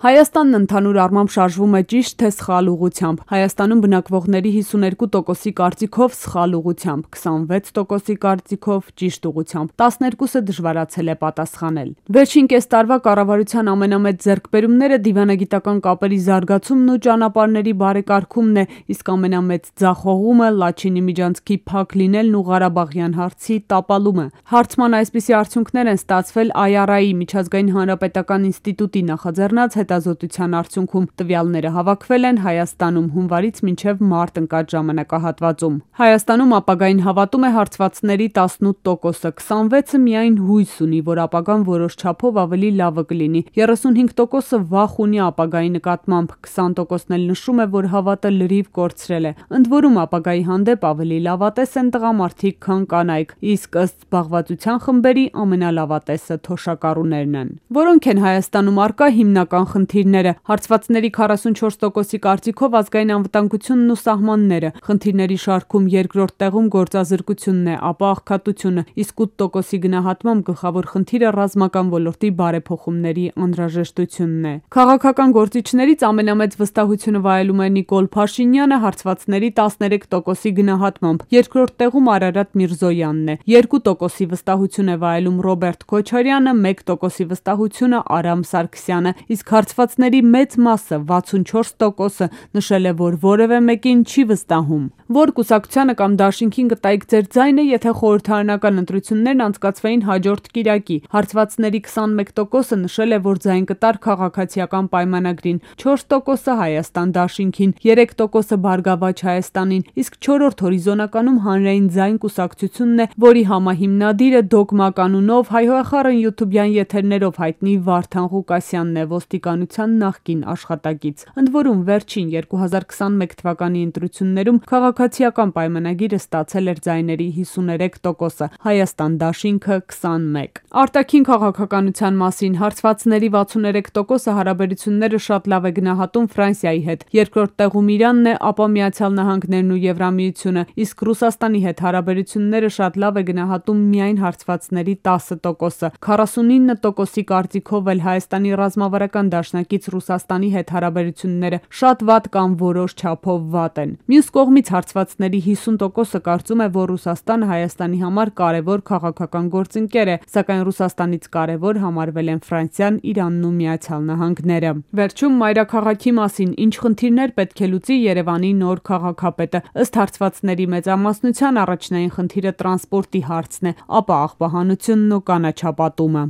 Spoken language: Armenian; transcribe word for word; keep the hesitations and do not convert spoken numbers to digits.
Հայաստանն ընդհանուր առմամբ շարժվում է ճիշտ թե սխալ ուղղությամբ։ Հայաստանում բնակվողների հիսուներկու տոկոսի կարծիքով սխալ ուղղությամբ, քսանվեց տոկոսի կարծիքով ճիշտ ուղղությամբ, տասներկուսը դժվարացել է պատասխանել։ Վերջին կես տարվա կառավարության ամենամեծ ձեռքբերումները դիվանագիտական կապերի զարգացումն ու ճանապարհների բարեկարգումն է, իսկ ամենամեծ ձախողումը Լաչինի միջանցքի փակ լինելն ու Ղարաբաղյան հարցի տապալումը։ Հարցման այսպիսի արդյունքներ են ստացվել Այ Առ Այ-ի միջազգային հանրապետական ինստիտուտի նախաձեռնած հետազոտության արդյունքում։ Տվյալները հավաքվել են Հայաստանում հունվարից մինչև մարտ ընկած ժամանակահատվածում։ Հայաստանում ապագային հավատում է հարցվածների տասնութ տոկոսը, քսանվեցը միայն հույս ունի, որ ապագան որոշ չափով ավելի լավը կլինի, երեսունհինգ տոկոսը վախ ունի ապագայի նկատմամբ, քսան տոկոսն էլ նշում է, որ հավատը լրիվ կորցրել է։ Ընդ որում ապագայի հանդեպ ավելի լավատես են տղամարդիկ, քան կանայք, իսկ ըստ զբաղվածության խմբերի ամենալավատեսը թոշակառուներն են։ Որոնք են Հայաստանում առկա հիմնական խնդիրները։ Հարցվածների քառասունչորս տոկոսի կարծիքով ազգային անվտանգությունն ու սահմանները, խնդիրների շարքում երկրորդ տեղում գործազրկությունն է, ապա աղքատությունը, իսկ ութ տոկոսի գնահատմամբ գլխավոր խնդիրը ռազմական ոլորտի բարեփոխումների անհրաժեշտությունն է։ Քաղաքական գործիչներից ամենամեծ վստահությունը վայելում է Նիկոլ Փաշինյանը հարցվածների տասներեք տոկոսի գնահատմամբ, երկրորդ տեղում Արարատ Միրզոյանն է, երկու տոկոսի վստահություն է վայելում Ռոբերտ Քոչարյանը, մեկ տոկոսի վստահությունը Արամ Սարգսյանը, իսկ հարցվածների մեծ մասը վաթսունչորս տոկոսը նշել է, որ որևէ մեկին չի վստահում։ Որ կուսակցությանը կամ դաշինքին կտայիք ձեր ձայնը, եթե խորհրդարանական ընտրություններն անցկացվեին հաջորդ կիրակի։ Հարցվածների քսանմեկ տոկոսը նշել է, որ ձայն կտար քաղաքացիական պայմանագրին, չորս տոկոսը Հայաստան դաշինքին, երեք տոկոսը Բարգավաճ Հայաստանին, իսկ չորրորդ հորիզոնականում Հանրային ձայն կուսակցությունն է, որի համահիմնադիրը Դոգմա կանունով հայհոյախառն յութուբյան եթերներով հայտնի Վարդան Ղուկասյանն է, ոստիկանության նախկին աշխատակից։ Ընդ որում վերջին երկու հազար քսանմեկ թվականի ընտրություններում քաղաքացիական պայմանագիրը ստացել էր ձայների հիսուներեք տոկոսը, Հայաստան դաշինքը քսանմեկ։ Արտաքին քաղաքականության մասին հարցվածների վաթսուներեք տոկոսը հարաբերությունները շատ լավ է գնահատում Ֆրանսիայի հետ, երկրորդ տեղում Իրանն է, ապա Միացյալ Նահանգներն ու Եվրամիությունը, իսկ Ռուսաստանի հետ հարաբերությունները շատ լավ է գնահատում միայն հարցվածների տասը տոկոսը, քառասունինը տոկոսի կարծիքով էլ Հայաստանի ռազմավարական դաշնակից Ռուսաստանի հետ հարաբերությունները շատ վատ կամ որոշ չափով վատ են։ Մյուս կողմից հարցվածների հիսուն տոկոսը կարծում է, որ Ռուսաստանը Հայաստանի համար կարևոր քաղաքական գործընկեր է, սակայն Ռուսաստանից կարևոր համարվել են Ֆրանսիան, Իրանն ու Միացյալ Նահանգները։ Վերջում մայրաքաղաքի մասին ինչ խնդիրներ պետք է լուծի Երևանի նոր քաղաքապետը։ Ըստ հարցվածների մեծամասնության առաջնային խնդիրը տրանսպորտի հարցն է, ապա աղբահանությունն ու կանաչապատումը։